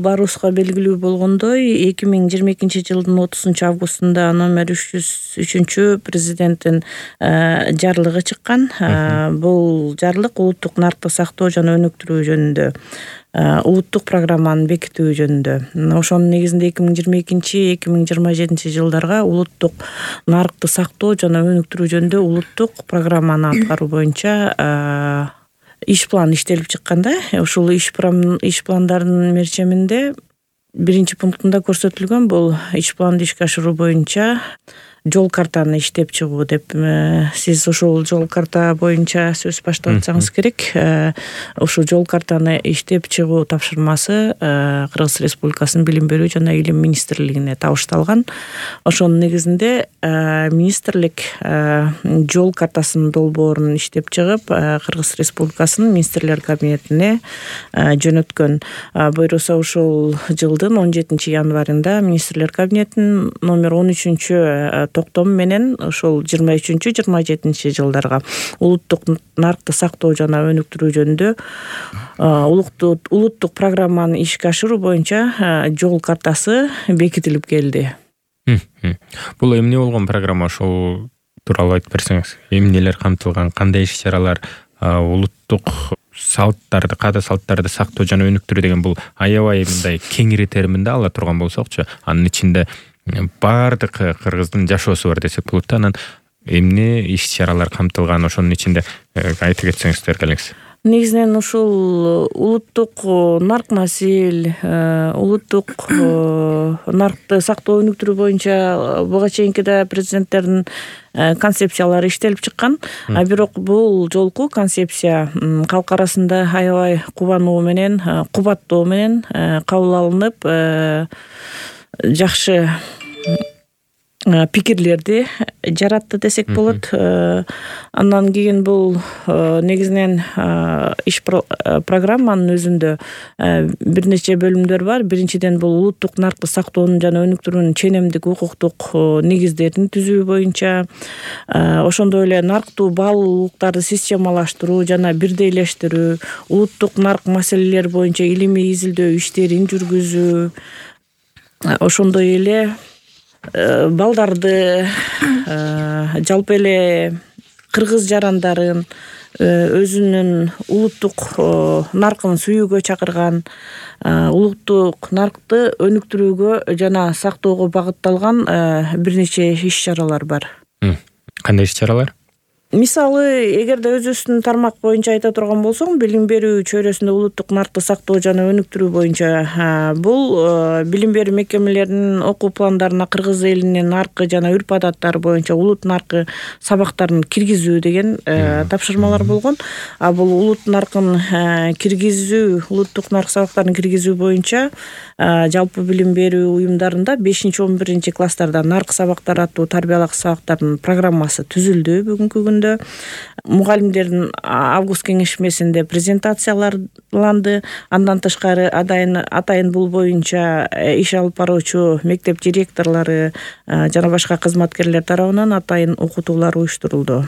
баарыбызга белгилүү болгондой 2022-жылдын 30-августунда номер 303 президенттин жарлыгы чыккан. Бул жарлык улуттук наркты сактоо жана өнүктүрүү жөнүндө улуттук программаны бекитүү жөнүндө. Ошонун негизинде 2022-2027 жылдарга улуттук наркты сактоо жана өнүктүрүү жөнүндө улуттук программаны аткаруу боюнча иш план иштелип чыкканда, ушул иш пландардын мерчеминде биринчи пунктунда көрсөтүлгөн бул иш планды ишке ашыруу боюнча жол картаны иштеп чыгуу деп. Сиз ушул жол карта боюнча сөз баштап атсаңыз керек. Ушул жол картаны иштеп чыгуу тапшырмасы Кыргыз Республикасынын Билим берүү жана Илим министрлигине табышталган. Ошонун негизинде министрлик жол картасынын долбоорун иштеп чыгып, Кыргыз Республикасынын министрлер кабинетине жөнөткөн. Буюрса ушул жылдын 17 январында министрлер кабинетинин номер 13 токтому менен ошол 23-27 жылдарга улуттук наркты сактоо жана өнүктүрүү жөнүндө улуттук программаны ишке ашыруу боюнча жол картасы бекитилип келди. Бул эмне болгон программа, ошол тууралуу айтып берсеңиз? Эмнелер камтылган, кандай иш-чаралар, улуттук салттарды, каада салттарды сактоо жана өнүктүрүү деген бул аябай мындай кеңири терминде ала турган болсокчу, анын ичинде баардык кыргыздын жашоосу бар десек болот да. Анан эмне иш-чаралар камтылган, ошонун ичинде айтып кетсеңиздер келиңиз. Негизинен ушул улуттук наркмасил, улуттук наркты сактоо өнүктүрүү боюнча буга чейинки да президенттердин концепциялары иштелип чыккан. Бирок бул жолку концепция калк арасында аябай кубануу менен, кубаттоо менен кабыл алынып, жакшы пикирлерди жаратты десек болот. Андан кийин бул негизинен иш программанын өзүндө бир нече бөлүмдөр бар. Биринчиден бул улуттук наркты сактоонун жана өнүктүрүүнүн ченемдик укуктук негиздерин түзүү боюнча, ошондой эле нарктуу баалуулуктарды системалаштыруу жана бирдейлештирүү, улуттук нарк маселелери боюнча илимий изилдөө иштерин жүргүзүү, ошондой эле балдарды, жалпы эле кыргыз жарандарын өзүнүн улуттук наркын сүйүүгө чакырган, улуттук наркты өнүктүрүүгө жана сактоого багытталган бир нече иш-чаралар бар. Кандай иш-чаралар? Мисалы, эгерде өзүбүздүн тармак боюнча айта турган болсоң, билим берүү чөйрөсүндө улуттук наркты сактоо жана өнүктүрүү боюнча бул билим берүү мекемелеринин окуу пландарына кыргыз элинин наркы жана үрп-адаттары боюнча улут наркы сабактарын киргизүү деген тапшырмалар болгон. Бул улут наркын киргизүү, улуттук нарк сабактарын киргизүү боюнча жалпы билим берүү уюмдарында 5-11 класстарда нарк сабактары аттуу тарбиялык сабактардын программасы түзүлдү бүгүнкү күндө. Мугалимдердин август кеңешмесинде презентацияланды. Андан тышкары атайын бул боюнча иш алып баруучу мектеп директорлору жана башка кызматкерлер тарабынан атайын окутуулар уюштурулду.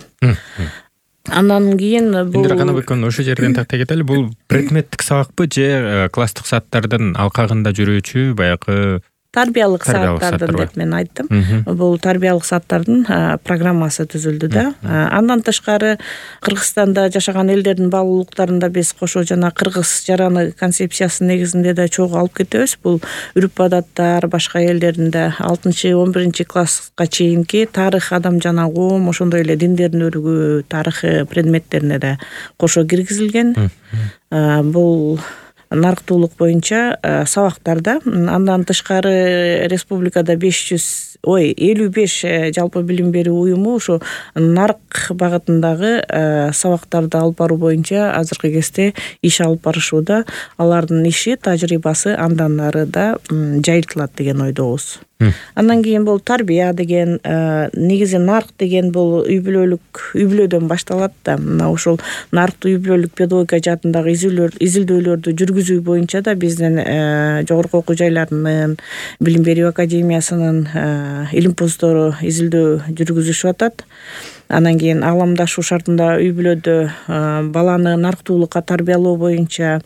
Андан кийин бул Индира Канабекова ошол жерден тактай кетели. Бул предметтик сабакпы же класстык сааттардын алкагында жүрүүчү баягы тарбиялык сааттардын деп мен айттым. Бул тарбиялык сааттардын программасы түзүлдү да. Андан тышкары Кыргызстанда жашаган элдердин баалуулуктарында биз кошо жана кыргыз жараны концепциясынын негизинде да чогуу алып кетебиз. Бул үрп-адаттар, башка элдердин да 6-11 класска чейинки тарых, адам жана коом, ошондой эле диндердин өрүгү тарыхы предметтерине да кошо киргизилген. Бул нарктуулук боюнча сабактарда. Андан тышкары республикада 55 жалпы билим берүү уюму ушу нарк багытындагы сабактарды алып баруу боюнча азыркы кезде иш алып барышууда. Алардын иши, тажрыйбасы андан ары да жайылтылат деген ойдобуз. Андан кийин бул тарбия деген, негизи нарк деген бул үй-бүлөдөн башталат да. Мына ушул нарктуу үй-бүлөлүк педагогика жаатындагы изилдөөлөрдү жүргүзүү боюнча да биздин жогорку окуу жайларынын, билим берүү академиясынын илимпоздору изилдөө жүргүзүшүп атат. Анан кийин ааламдашуу шартында үй бүлөдө баланы нарктуулукка тарбиялоо боюнча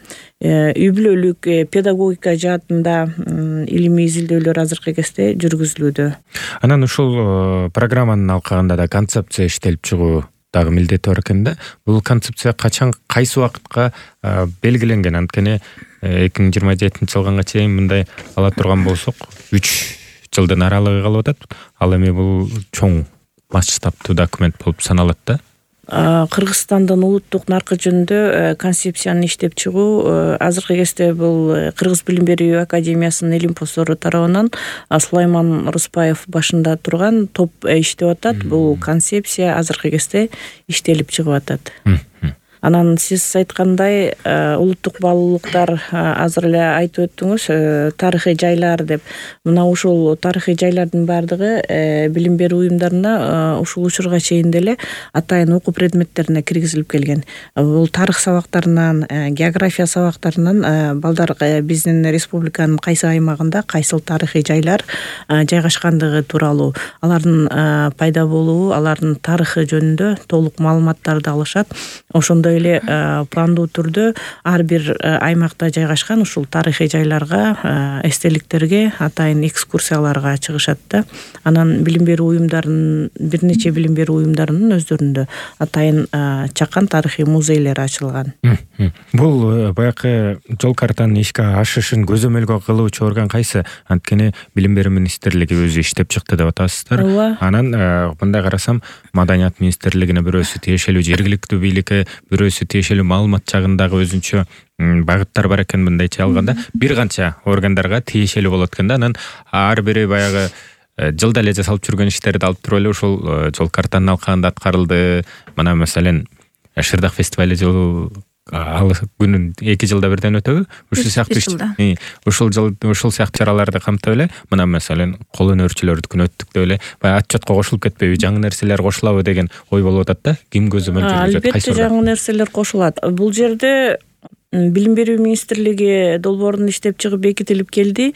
үй бүлөлүк педагогика жаатында илимий изилдөөлөр азыркы кезде жүргүзүлүүдө. Анан ушул программанын алкагында да концепция иштелип чыгуу дагы милдети бар экен да. Бул концепция качан, кайсы убакытка белгиленген? Анткени 2027 жылга чейин мындай ала турган болсок 3 жылдын аралыгы калып атат. Ал эми бул чоң масштабтуу документ болуп саналат да. Кыргызстандын улуттук наркы жөнүндө концепцияны иштеп чыгуу азыркы кезде бул Кыргыз билим берүү академиясынын илимпоздору тарабынан Сулайман Руспаев башында турган топ иштеп атат. Бул концепция азыркы кезде иштелип чыгып атат. Анан сиз айткандай улуттук баалуулуктар азыр эле айтып өттүңүз, тарыхый жайлар деп. Мына ушул тарыхый жайлардын баардыгы билим берүү уюмдарына ушул учурга чейин деле атайын окуу предметтерине киргизилип келген. Бул тарых сабактарынан, география сабактарынан балдар биздин республиканын кайсы аймагында кайсыл тарыхый жайлар жайгашкандыгы тууралуу, алардын пайда болуу, алардын тарыхы жөнүндө толук маалыматтарды алышат. Ошондой эле пландуу түрдө ар бир аймакта жайгашкан ушул тарыхый жайларга, эстеликтерге, атайын экскурсияларга чыгышат да. Анан билим берүү уюмдарынын, бир нече билим берүү уюмдарынын өздөрүндө атайын чакан тарыхый музейлери ачылган. Бул баягы жол картанын ишке ашышын көзөмөлгө кылуучу орган кайсы? Анткени билим берүү министрлиги өзү иштеп чыкты деп атасыздар. Анан мындай карасам, маданият министрлигине бирөөсү тиешелүү, жергиликтүү бийликке бирөөсү тиешелүү, маалымат жагындагы өзүнчө багыттар бар экен. Мындайча алганда бир канча органдарга тиешелүү болот экен да. Анан ар бири баягы жылда эле жасалып жүргөн иштерди алып туруп эле ушул жол картанын алкагында аткарылды. Мына маселен Шырдак фестивали жыл ал күнүн 2 жылда бирден өтөбү? Ушул сыяктуу ушул сыяктуу чараларды камтып эле, мына маселен кол өнөрчүлөрдүкүн өттүк деп эле баягы отчетко кошулуп кетпейби, жаңы нерселер кошулабы деген ой болуп атат да. Ким көзөмөл жүргүзөт, кайсы? Албетте жаңы нерселер кошулат. Бул жерде билим берүү министрлиги долбоорун иштеп чыгып бекитилип келди.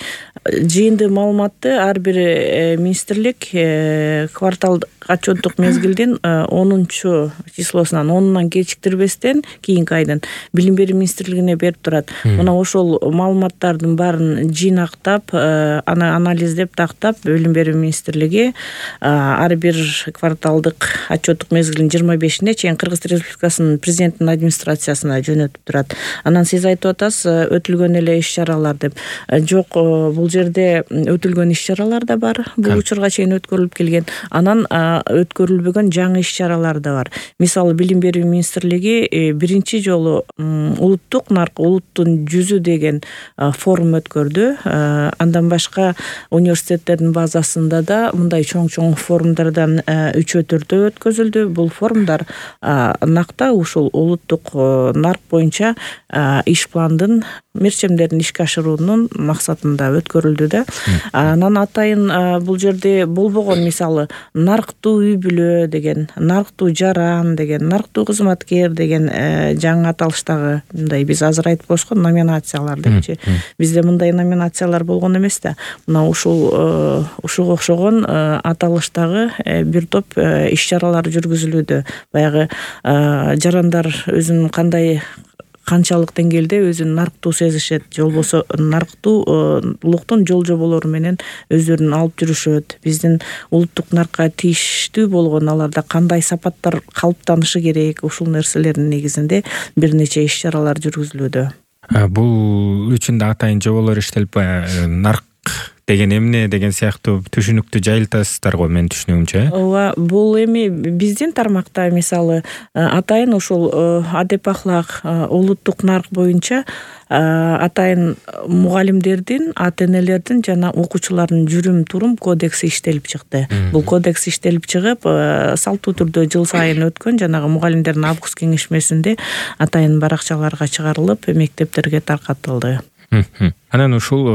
Жыйынды маалыматты ар бир министрлик кварталдык отчеттук мезгилдин 10 числосунан 10-нан кечиктирбестен кийинки айдын билим берүү министрлигине берип турат. Мына ошол маалыматтардын баарын жыйнактап, аны анализдеп, тактап билим берүү министрлиги ар бир кварталдык отчеттук мезгилдин 25-ине чейин Кыргыз Республикасынын президентинин администрациясына жөнөтүп турат. Анан сиз айтып атасыз, өтүлгөн эле иш-чаралар деп. Жок, бул жерде өтүлгөн иш-чаралар да бар. Бул учурга чейин өткөрүлүп келген. Анан өткөрүлбөгөн жаңы иш-чаралар да бар. Мисалы билим берүү министрлиги биринчи жолу улуттук нарк, улуттун жүзү деген форум өткөрдү. Андан башка университеттердин базасында да мындай чоң форумдардан 3-4 өткөзүлдү. Бул форумдар накта ушул улуттук нарк боюнча иш пландын мерчемдерин ишке ашыруунун максатында өткөрүлдү да. Анан атайын бул жерде болбогон, мисалы нарктуу үй бүлө деген, нарктуу жаран деген, нарктуу кызматкер деген жаңы аталыштагы мындай биз азыр айтып коюшкан номинациялар депчи. Бизде мындай номинациялар болгон эмес да. Мына ушуга окшогон аталыштагы бир топ иш-чаралар жүргүзүлүүдө. Баягы жарандар өзүнүн канчалык деңгээлде өзүн нарктуу сезишет, же болбосо нарктуулуктун жол жоболору менен өздөрүн алып жүрүшөт. Биздин улуттук наркка тийиштүү болгон аларда кандай сапаттар калыптанышы керек, ушул нерселердин негизинде бир нече иш-чаралар жүргүзүлүүдө. Бул үчүн да атайын жоболор иштелип, нарк деген эмне деген сыяктуу түшүнүктү жайылтасыздар го, менин түшүнүгүмчө. Ооба, бул эми биздин тармакта мисалы атайын ушул адеп ахлак, улуттук нарк боюнча атайын мугалимдердин, ата-энелердин жана окуучулардын жүрүм-турум кодекси иштелип чыкты. Бул кодекс иштелип чыгып, салттуу түрдө жыл сайын өткөн жанагы мугалимдердин август кеңешмесинде атайын баракчаларга чыгарылып, мектептерге таркатылды. Анан ушул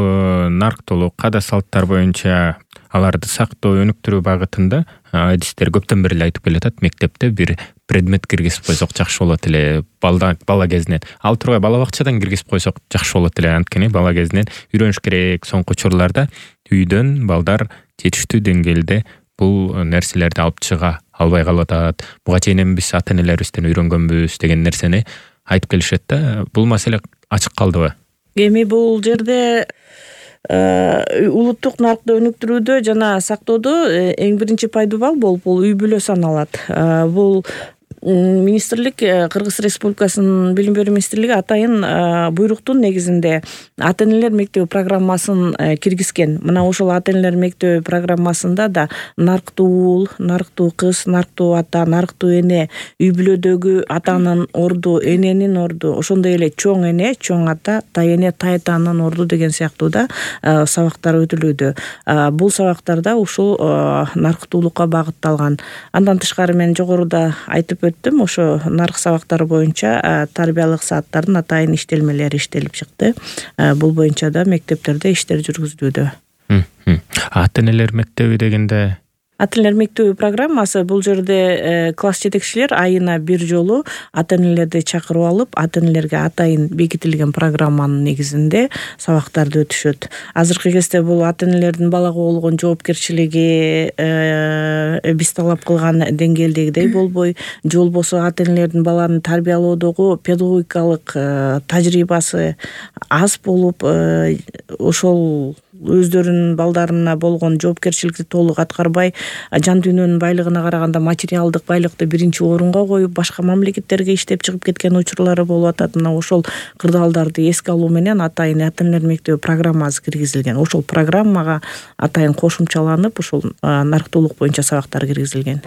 нарктуулук, када салттар боюнча аларды сактоо, өнүктүрүү багытында адистер көптөн бери айтып келатат. Мектепте бир предмет киргизип койсок жакшы болот эле, бала кезинен. Ал тургай бала бакчадан киргизип койсок жакшы болот эле. Анткени бала кезинен үйрөнүш керек. Соңку учурларда үйдөн балдар жетиштүү деңгээлде бул нерселерди алып чыга албай калып атат. Буга чейин биз ата энелерибизден үйрөнгөнбүз деген нерсени айтып келишет да. Бул маселе ачык калдыбы? Эми бул жерде улуттук наркты өнүктүрүүдө жана сактоодо эң биринчи пайдубал болуп бул үй бүлө саналат. Бул министрлик, Кыргыз Республикасынын Билим берүү министрлиги атайын буйруктун негизинде ата энелер мектеби программасын киргизген. Мына ошол ата энелер мектеби программасында да нарктуу уул, нарктуу кыз, нарктуу ата, нарктуу эне, үй бүлөдөгү атанын орду, эненин орду, ошондой эле чоң эне, чоң ата, тай эне, тай атанын орду деген сыяктуу да сабактар өтүлүүдө. Бул сабактарда ушул нарктуулукка багытталган. Андан тышкары мен жогоруда айтып өттүм, ошо нарк сабактары боюнча тарбиялык сааттардын атайын иштелмелери иштелип чыкты. Бул боюнча да мектептерде иштер жүргүзүлүүдө. Ата энелер мектеби дегенде Ата энелер мектеби программасы бул жерде класс жетекчилер айына бир жолу ата энелерди чакырып алып, ата энелерге атайын бекитилген программанын негизинде сабактарды өтүшөт. Азыркы кезде бул ата энелердин балага болгон жоопкерчилиги биз талап кылган деңгээлдегидей болбой, же болбосо ата энелердин баланы тарбиялоодогу педагогикалык тажрыйбасы аз болуп, ошол өздөрүнүн балдарына болгон жоопкерчиликти толук аткарбай, жан дүйнөнүн байлыгына караганда материалдык байлыкты биринчи орунга коюп, башка мамлекеттерге иштеп чыгып кеткен учурлары болуп атат. Мына ошол кырдаалдарды эске алуу менен атайын ата энелер мектеби программасы киргизилген. Ошол программага атайын кошумчаланып, ушул нарктуулук боюнча сабактар киргизилген.